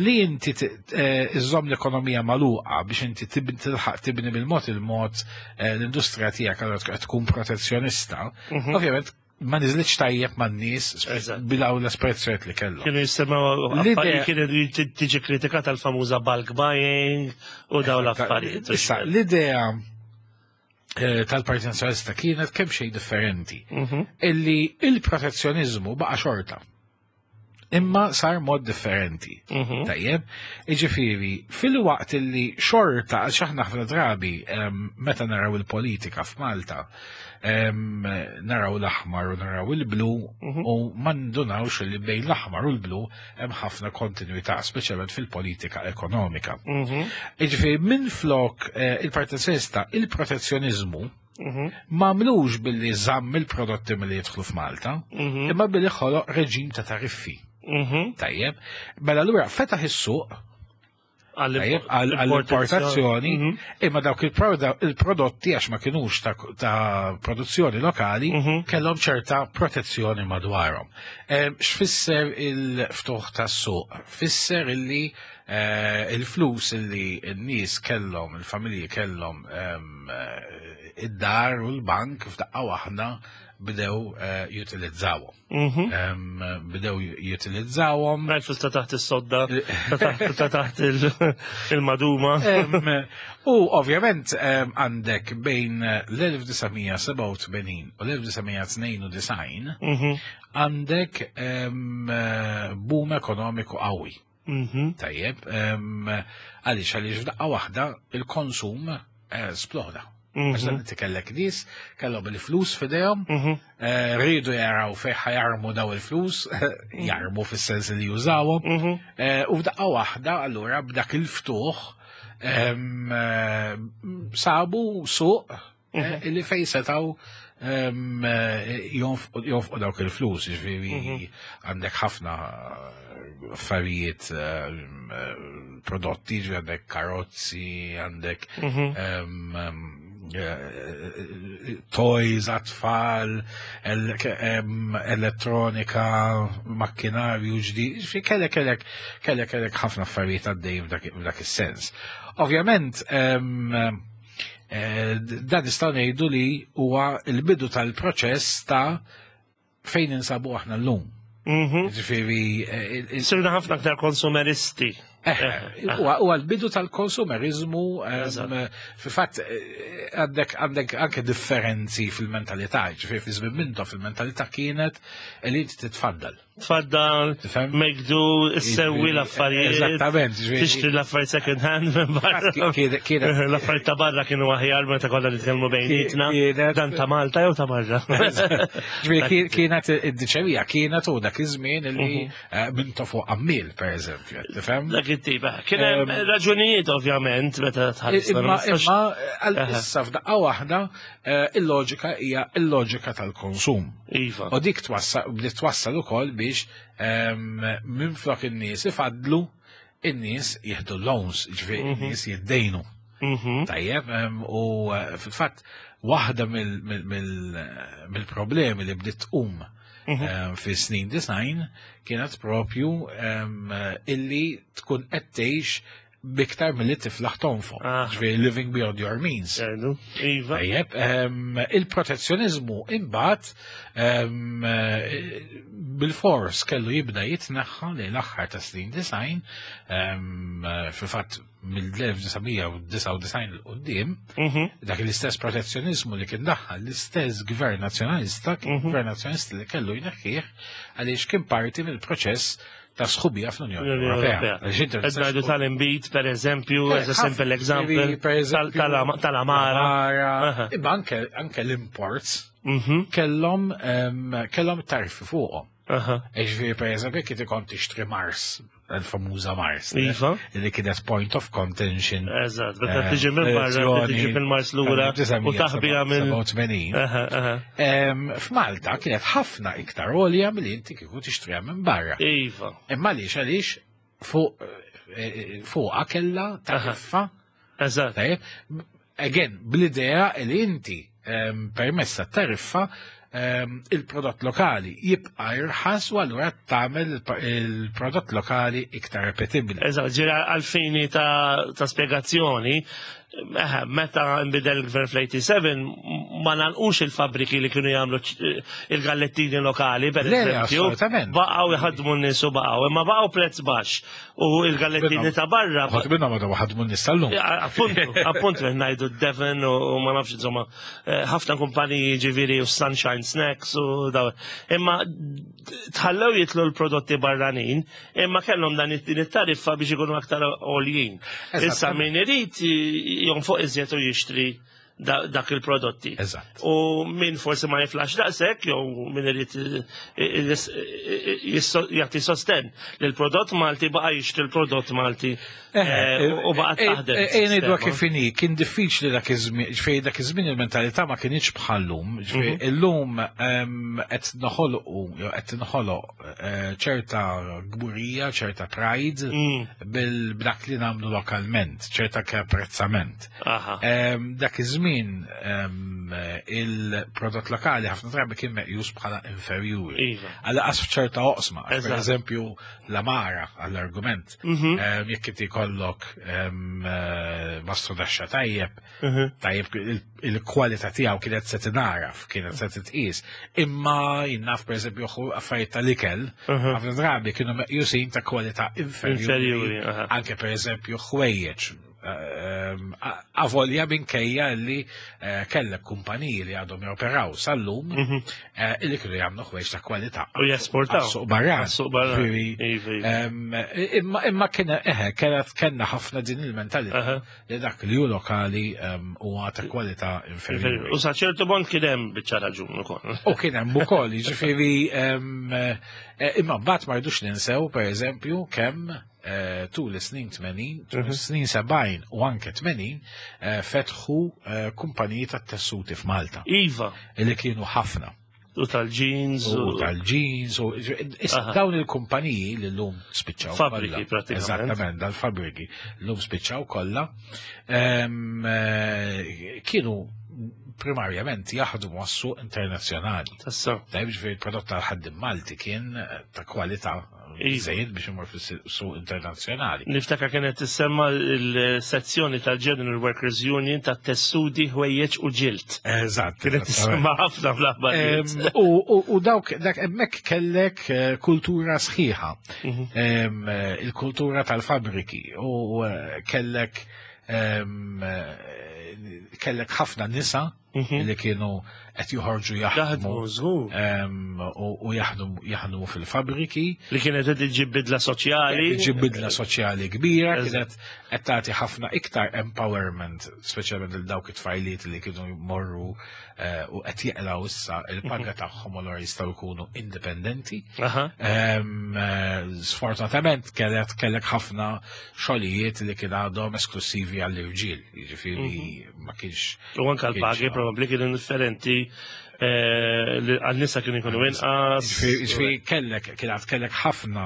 li inti eh, iżżomm l-ekonomija magħluqa biex inti tilħaq tibni bil-mod il-mod eh, l-industrija tiegħek allura tkun protezzjonista, mhm. ovvjament ma niżlitx tajjeb man-nies bilaw l-espressjoniet li kellhom. Kienu jisimgħu affarijiet kienu tiġi kritikata l-famuża bulk buying u daw l-affarijiet. Issa, l-idea eh, tal-Partit Nazzjonalista kienet kemm xejn differenti. Mhm. Illi il-protezzjonizmu baqa' xorta. Imma sar mod differenti. Mhm. Tajjeb, iġifieri, fil-waqt li xorta, għax aħna ħafna drabi meta naraw il-politika f'Malta, naraw l-aħmar u naraw il-blu mhm. u ma ndunawx li bejn l-aħmar u l-blu hemm ħafna kontinuità, speċjalment fil-politika ekonomika. Mhm. Iġifieri, minn flok eh, il-Partit Nazzjonalista, il-protezzjonizmu, Mhm. Ma għamlux billi żamm il-prodotti milli jidħlu f'Malta, mhm. imma billi ħoloq reġim ta' tariffi. Mhm. Tajjeb, mela allura fetaħ is-suq għall-importazzjoni, imma dawk il-prodotti għax ma kinux ta' produzzjoni lokali kellhom ċerta protezzjoni madwarhom. X'fisser il-ftuħ tas-suq? Fisser illi eh, il-flus illi n-nies kellhom, il-familji kellhom eh, id-dar u l-bank f'daqqa waħda bdew eh, jutilizzawhom. Mhm. Bdew jutilizzawhom. Rajt ta' taħt is-sodda, ta' taħt il-maduma. U ovvjament għandek bejn l-1987 u l-1992 mhm. għandek boom ekonomiku qawwi. Mhm. Tajjeb, għaliex għaliex f'daqqa waħda il-konsum eh, sploda. Mhm. Għax dan inti kellek nies, kellhom il-flus f'idejhom, mhm. eh, rridu jaraw fejn ħajarmu daw il-flus, jarmu fis-sens li jużawhom, eh, u f'daqqa waħda allura b'dak il-ftuħ sabu suq Eh, li fej setaw ehm, eh, jonfqu dawk il-flus, ġifieri mhm. għandek ħafna affarijiet ehm, eh, prodotti, ġifieri għandek karozzi, għandek mhm. ehm, toys għat-tfal, elettronika, makkinarju ġdid, ġifieri kellek kellek kellek kellek ħafna affarijiet għaddej f'dak is-sens. Ovvjament, dan nistgħu ngħidu li huwa l-bidu tal-proċess ta' fejn insabu aħna llum. Ġifieri Sirna ħafna aktar konsumeristi. Huwa l-bidu tal-konsumerizmu, fil-fatt għandek għandek anke differenzi fil-mentalità, ġifieri fi żmien Mintoff fil-mentalità kienet li inti titfaddal. Tfaddal, make do, issewwi l-affarijiet. Eżattament. Tixtri l-affarijiet second hand minn barra. L-affarijiet ta' barra kienu aħjar meta konna nitkellmu bejnietna. Dan ta' Malta jew ta' barra. Ġifieri kienet id-diċerija kienet u dak iż-żmien li Mintoff fuq għammiel, per eżempju, tifhem? Dak it-tip, kien hemm raġunijiet ovvjament meta tħares. Imma issa f'daqqa waħda il-loġika hija il-loġika tal-konsum. Iva. U dik bdiet twassal ukoll biex minflok in-nies ifadlu, in-nies jieħdu loans, ġifieri in-nies jiddejnu. Tajjeb, u fil-fatt waħda mill-problemi li bdiet tqum fi snin design kienet propju illi tkun qed tgħix biktar milli tiflaħ tonfoq. Ġifieri living beyond your means. Iva. Tajjeb, il-protezzjonizmu imbagħad bil-fors kellu jibda jitneħħa lejn l-aħħar ta' snin design, fil-fatt mill-1999 'l quddiem, dak l-istess protezzjonizmu li kien daħħal l-istess gvern nazzjonalista, kien gvern nazzjonalista li kellu jneħħih għaliex kien parti mill-proċess ta' sħubija fl-Unjoni L-Unjoni Ewropea. Ewropea. Għaliex inti Qed ngħidu tal-inbid, per eżempju, as a simple example, ġifieri, per eżempju, tal-amara. l-amara, imma anke l-imports kellhom tariffi fuqhom. Ġifieri, per eżempju, jekk inti kont tixtri Mars, il-famuża Mars, li kienet point of contention. Eżatt, meta tiġi minn barra, tiġi fil-Mars lura u taħbija minn 87. F'Malta kienet ħafna iktar għolja milli inti kieku tixtriha minn barra. Imma għaliex, għaliex fuqha kellha tariffa. Tajjeb, again, bl-idea li inti permezz tat-tariffa il-prodott lokali jibqa' irħas u allura tagħmel il-prodott lokali iktar repetibbli. Eżatt, ġira għalfini ta' spjegazzjoni, meta nbidel il-gvern fl-87 ma nagħlqux il-fabriki li kienu jagħmlu il-gallettini lokali, per Le, le, eżempju, assolutament. baqgħu jħadmu n-nies u baqgħu, imma baqgħu prezz baxx u il-gallettini ta' barra Ħadd minnhom għadhom ħadmu n-nies tal-lum. Ja, appuntu, qed ngħidu Devon u ma nafx, insomma, ħafna kumpaniji ġifieri u Sunshine Snacks u daw. Imma tħallew jitlu l-prodotti barranin, imma kellhom dan din it-tariffa biex ikunu aktar għoljin. Issa min irid jonfoq iżjed u jixtri dak il-prodotti. U min forsi ma jiflax daqshekk, jew min irid jagħti sosten lil prodott Malti baqa' jixtri l-prodott Malti, u baqa' taħdem Ngħidu is-sistema. kif inhi, kien diffiċli dak iż-żmien, ġifieri dak iż-żmien il-mentalità ma kienx bħallum, ġifieri illum qed noħolqu, jew qed tinħoloq ċerta gburija, ċerta pride b'dak li nagħmlu lokalment, ċerta apprezzament. Dak iż-żmien il-prodott lokali ħafna drabi kien meqjus bħala inferjuri. Għal qas f'ċerta oqsma, per eżempju l-amara għall-argument. Jekk inti jkollok mastrudaxxa tajjeb, tajjeb il-kwalità tiegħu kienet se tingħaraf, kienet se titqis. Imma jinnaf per eżempju affarijiet tal-ikel, ħafna drabi kienu meqjusin ta' kwalità inferjuri. Inferjuri, aha. Anke per eżempju ħwejjeġ. Avolja minkejja li kellek kumpaniji li għadhom joperaw sal-lum, illi kienu jagħmlu ħwejjeġ ta' kwalità. U jesportaw. Għas-suq barran. Għas-suq barran. Ġifieri, Iva, iva. imma kienet kellna ħafna din il-mentalità li dak li hu lokali huwa ta' kwalità inferjuri. U sa ċertu punt kien hemm biċċa raġun ukoll. U kien hemm ukoll, jiġifieri, imma mbagħad ma rridux ninsew pereżempju kemm tul is-snin 80, tul is-snin 70 u anke 80 fetħu kumpaniji tat-tessuti f'Malta. Illi kienu ħafna. U tal-jeans. U tal-jeans. U issa dawn il-kumpaniji li llum spiċċaw Fabriki, kollha. pratikament. Eżattament, dal-fabriki llum spiċċaw kollha. Kienu primarjament jaħdmu għas-suq internazzjonali. Tassew. Tajb ġifieri il-prodott tal-ħaddiem Malti kien ta' kwalità biżejjed biex imur fis-suq internazzjonali. Niftakar kienet tissemma l-sezzjoni tal-General Workers Union ta' tessuti, ħwejjeġ u ġilt. Eżatt. Kienet tissemma ħafna fl-aħbarijiet. U dawk dak hemmhekk kellek kultura sħiħa. Il-kultura tal-fabriki u kellek kellek ħafna nisa li kienu qed joħorġu jaħdmu u jaħdmu fil-fabriki. Li kienet qed iġġib bidla soċjali. Iġġib bidla soċjali kbira, kienet qed tagħti ħafna iktar empowerment, speċjalment lil dawk it-tfajliet li kienu jmorru u qed jeqlaw issa il-paga tagħhom u allura jistgħu jkunu indipendenti. Sfortunatament kellek ħafna xogħlijiet li kien għadhom esklusivi għall-irġiel, jiġifieri ma kienx. U anke l-pagi probabbli kienu differenti għan-nisa kienu jkunu inqas. Ġifieri kellek kienet kellek ħafna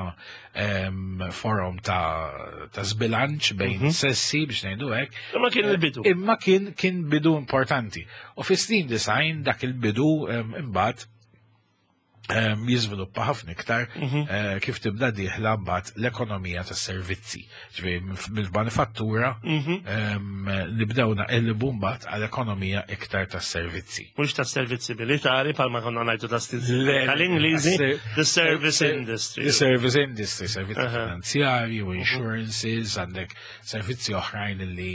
forom ta' żbilanċ bejn sessi biex ngħidu hekk. Imma kien il-bidu. Imma kien bidu importanti. U fis-snin 90 dak il-bidu imbagħad jiżviluppa ħafna iktar kif tibda dieħla mbagħad l-ekonomija tas-servizzi. Ġifieri mill-manifattura nibdew naqilbu mbagħad għall-ekonomija iktar tas-servizzi. Mhux tas-servizzi militari bħalma konna ngħidu tal-Ingliżi, the service industry. The service industry, servizzi finanzjarji u insurances, għandek servizzi oħrajn li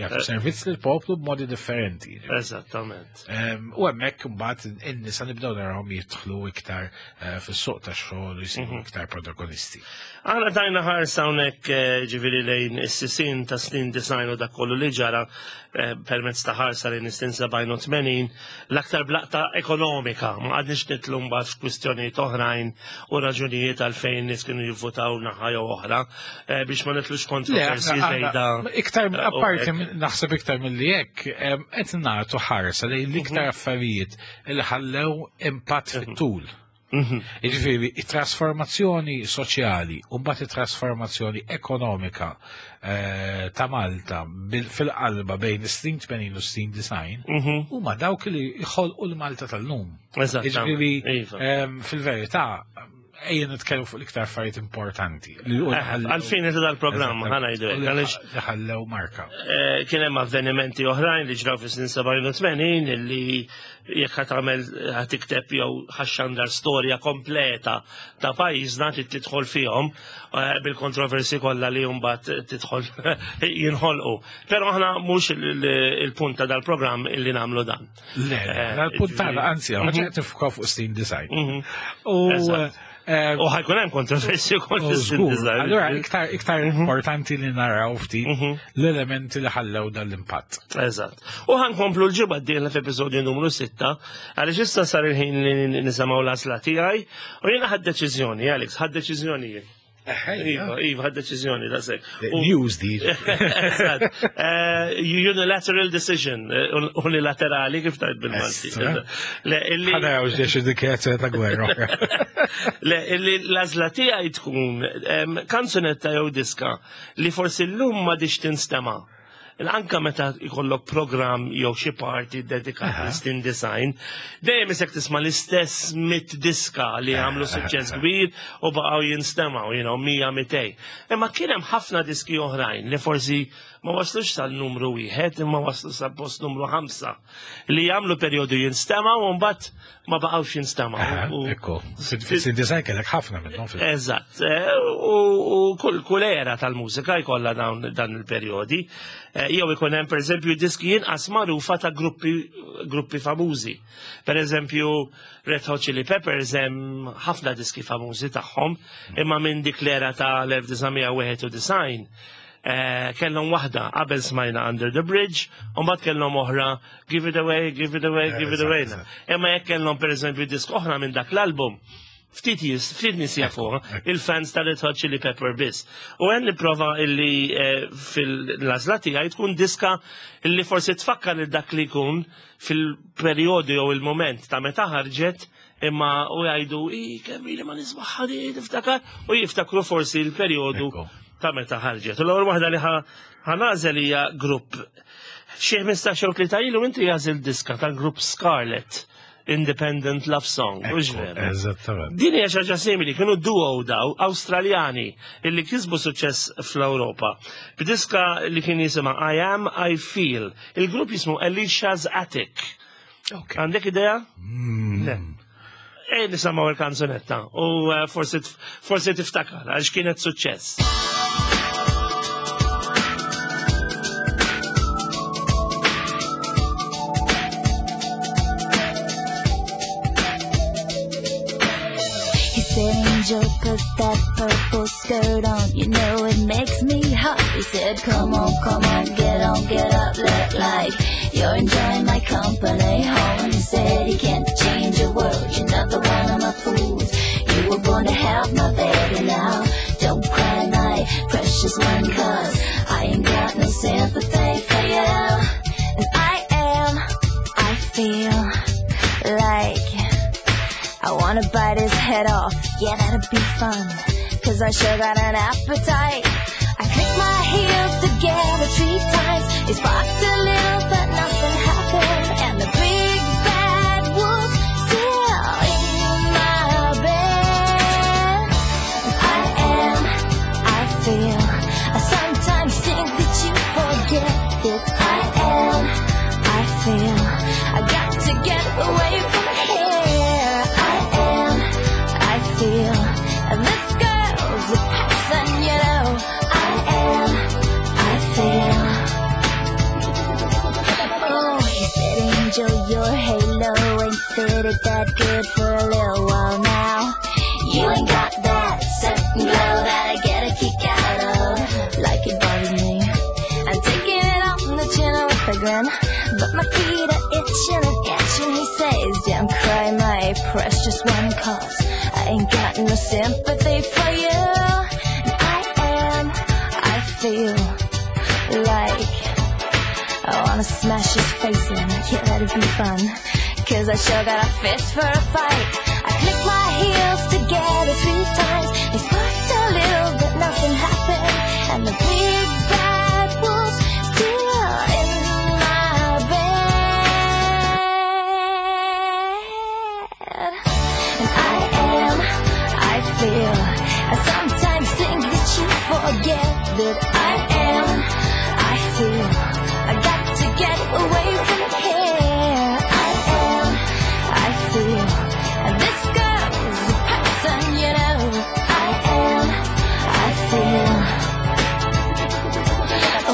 jagħtu servizz lill-poplu b'modi differenti. Eżattament. U hemmhekk imbagħad in-nisa nibdew narawhom jidħlu iktar fis-suq tax-xogħol u jsiru iktar protagonisti. Aħna tajna ħarsa hawnhekk ġifieri lejn is-sisin ta' snin 90 u dak kollu li ġara permezz ta' ħarsa lejn is-snin 87 l-aktar blaqta ekonomika. Ma qgħadniex nidħlu mbagħad f'kwistjonijiet oħrajn u raġunijiet għalfejn nies kienu jivvutaw naħa jew oħra biex ma nitlux kontroversi żejda. Iktar apparti naħseb iktar milli hekk qed nagħtu ħarsa lejn l-iktar affarijiet li ħallew impatt fit-tul. Jiġifieri, it-trasformazzjoni soċjali u mbagħad it-trasformazzjoni ekonomika ta' Malta fil-qalba bejn is-snin 80 u s-snin 90 huma dawk li jħolqu l-Malta tal-lum. Jiġifieri, fil-verità, ejja nitkellmu fuq l-iktar affarijiet importanti. Għalfejn qed dal-programm ħa ngħidu hekk, għaliex li ħallew marka. Kien hemm avvenimenti oħrajn li ġraw fis-snin 87 illi jekk ħa tagħmel ħa tikteb jew ħaxxandar storja kompleta ta' pajjiżna trid tidħol fihom bil-kontroversi kollha li mbagħad tidħol jinħolqu. Però aħna mhux il-punt ta' dal-programm illi nagħmlu dan. Le, l-punt tagħna anzi, ħaġa qed niffukaw fuq snin 90. U ħajkun hemm kontroversi wkoll fis-snin 90. Allura iktar importanti li naraw ftit l-elementi li ħallew dan l-impatt. Eżatt. U ħankomplu l-ġimgħa d-dieħla f'episodju numru 6, għaliex issa sar il-ħin li nisimgħu l-għażla tiegħi u jiena ħadt deċiżjoni, Alex, ħadt deċiżjoni jien. Iva, iva, ħadt deċiżjoni, da sekk. News di. Eżatt. Unilateral decision, unilaterali kif tajt bil-Malti. Le, illi Ħana għaw ġiex dikjarazzjoni ta' gwerra. Le, illi l-għażla tiegħi tkun kanzunetta jew diska li forsi llum ma diċ tinstema'. Anka meta jkollok program jew xi party dedikat snin 90, dejjem isek tisma' l-istess 100 diska li għamlu suċċess kbir u baqgħu jinstemgħu, 100, 200. Imma kien hemm ħafna diski oħrajn li forsi ma waslux sal-numru 1, imma waslu sal post numru 5 li jagħmlu perjodu jinstemgħu u mbagħad ma baqgħux jinstemgħu. Ekku, fis-snin 90 kellek ħafna minnhom fil- Eżatt, u kull era tal-mużika jkollha dan il-perjodi. Jew ikun hemm pereżempju diski inqas magħrufa ta' gruppi famużi. Pereżempju Red Hot Chili Peppers hemm ħafna diski famużi tagħhom, imma minn dik l-era ta' l-1991 kellhom waħda qabel smajna Under the Bridge, u mbagħad kellhom oħra Give It Away, Give It Away, Give It Away. Imma jekk kellhom pereżempju disk oħra minn dak l-album, ftit nies jafuha, il-fans ta' Red Hot Chili Pepper biss. U għen nipprova illi fil-għażla tiegħi tkun diska illi forsi tfakkar lil dak li jkun fil-perjodu jew il-moment ta' meta ħarġet, imma u jgħidu, i, kemm ili ma nismaħħa di, niftakar, u jiftakru forsi l-perjodu ta' meta ħarġet. U l-ewwel waħda li ħa nagħżel hija grupp xi 15 jew tlieta ilu inti għażilt diska tal-grupp Scarlet. Independent Love Song, u veru. Eżattament. Din hija xi ħaġa simili, kienu duo daw Awstraljani illi kisbu suċċess fl-Ewropa. B'diska li kien jisimha I Am, I Feel. Il-grupp jismu Alicia's Attic. Ok. Għandek idea? Le. Ej nisimgħu il-kanzunetta u eh, forsi forsi tiftakar għax kienet suċċess. He said, Angel, put that purple skirt on. You know it makes me hot. He said, Come on, come on, get on, get up. Look like you're enjoying my company. Home. He said, You can't change the world. You're not the one of my fools. You were born to have my baby now. Don't cry, my precious one, cause I ain't got no sympathy for you. And I am, I feel like I wanna bite his head off, yeah, that'd be fun. Cause I sure got an appetite. I click my heels together three times. It sparked a little, but nothing happened. And the big bad wolf's still in my bed. I am, I feel. I sometimes think that you forget that I am, I feel. I got to get away from here. I am, I feel. And this girl's a person, you know. I am, I feel. Oh, he said, Angel, your halo ain't fitted that good for a little while now. You ain't got that certain glow that I get a kick out of. Like it bothers me. I'm taking it on the chin with a grin. But my feet are itching and itching. He says, Don't cry, my precious one, cause I ain't got no sympathy for you. And I am, I feel like I wanna smash his face in. Yeah, that'd be fun. Cause I sure got a fist for a fight. I click my heels together three times. They sparked a little, but nothing happened. And the big bad wolf's still in my bed. And I am, I feel. I sometimes think that you forget that I am, I feel. I got to get away from here. I am, I feel. And this girl's a person, you know. I am, I feel.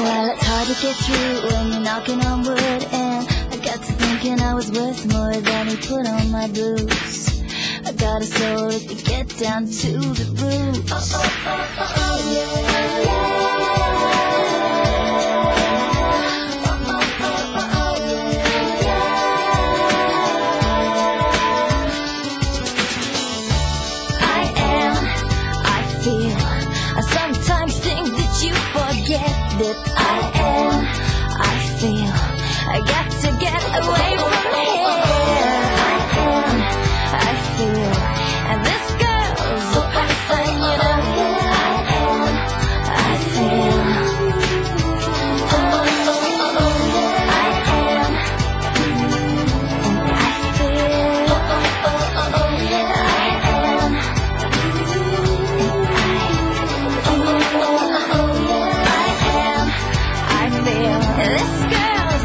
Well, it's hard to get through when you're knocking on wood. And I got to thinking I was worth more than he put on my boots. I got a soul that could get down to the roots. Oh, oh, oh, oh, yeah. Oh, oh, oh, oh, oh, yeah. I am, I feel. I sometimes think that you forget that I am, I feel. I got to get away from here. I am, I feel. And this girl's a person, you know. I am, I feel. Oh, oh, oh, oh, I am. And I feel. Oh, oh, oh, oh, oh, I am. I am, I feel this girl's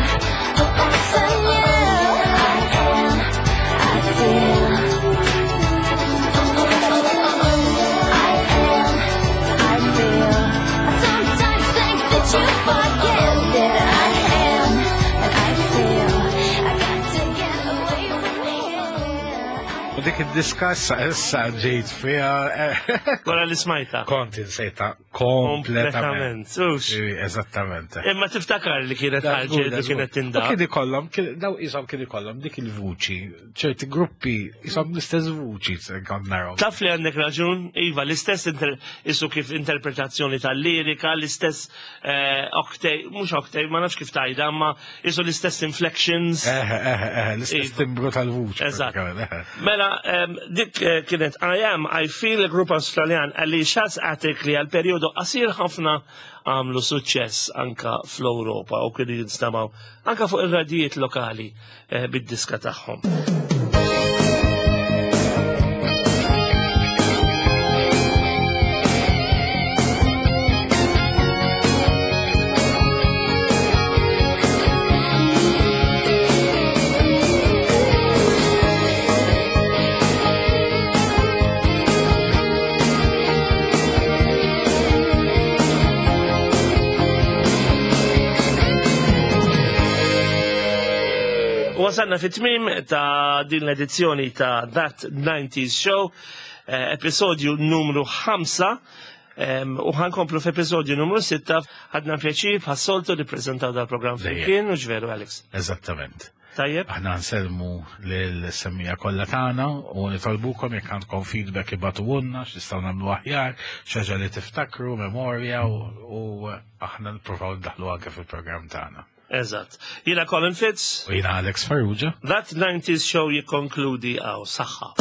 a person, yeah. I am, I feel. I am, I feel. I sometimes think that you forget that I am, and I feel. I got to get away from here. U dik id-diska issa issa ġejt fiha Wara li smajta. kont insejta kompletament. Ux. Eżattament. Imma tiftakar li kienet ħarġet u kienet U tindaq. kien ikollhom, daw isom kien ikollhom dik il-vuċi, ċerti gruppi isom l-istess vuċi kont naraw. Taf li għandek raġun, Iva, l-istess isu kif interpretazzjoni tal-lirika, l-istess octave, mux octave, ma nafx kif tajda, ma isu l-istess inflections. Eħe, eħe, eħe, l-istess Iva. timbru tal-vuċi. Eżatt. pratikament, eħe. Mela, dik eh, kienet I Am, I Feel, grupp Australjan Alicia's Attic li għal periodu qasir ħafna għamlu suċċess anka fl-Ewropa u kienu jinstamaw anka fuq ir-radijiet lokali eh, bid-diska tagħhom. Wasalna fit-tmim ta' din l-edizzjoni ta' That 90s Show, eh, episodju numru 5, u ħankomplu f'episodju numru 6, ħadna pjaċir bħas-soltu li prezentaw dal-programm flimkien, u ġveru Alex. Eżattament. Tajjeb. Aħna nsellmu lil-semmija kollha tagħna u nitolbukom jekk għandkom feedback ibagħtuhulna x'nistgħu nagħmlu aħjar, xi ħaġa li tiftakru, memorja u aħna nippruvaw ndaħħlu anke fil-programm tagħna. Eżatt. Jiena Colin Fitz. U jiena Alex Farrugia. That 90s Show jikkonkludi għaw saħħa.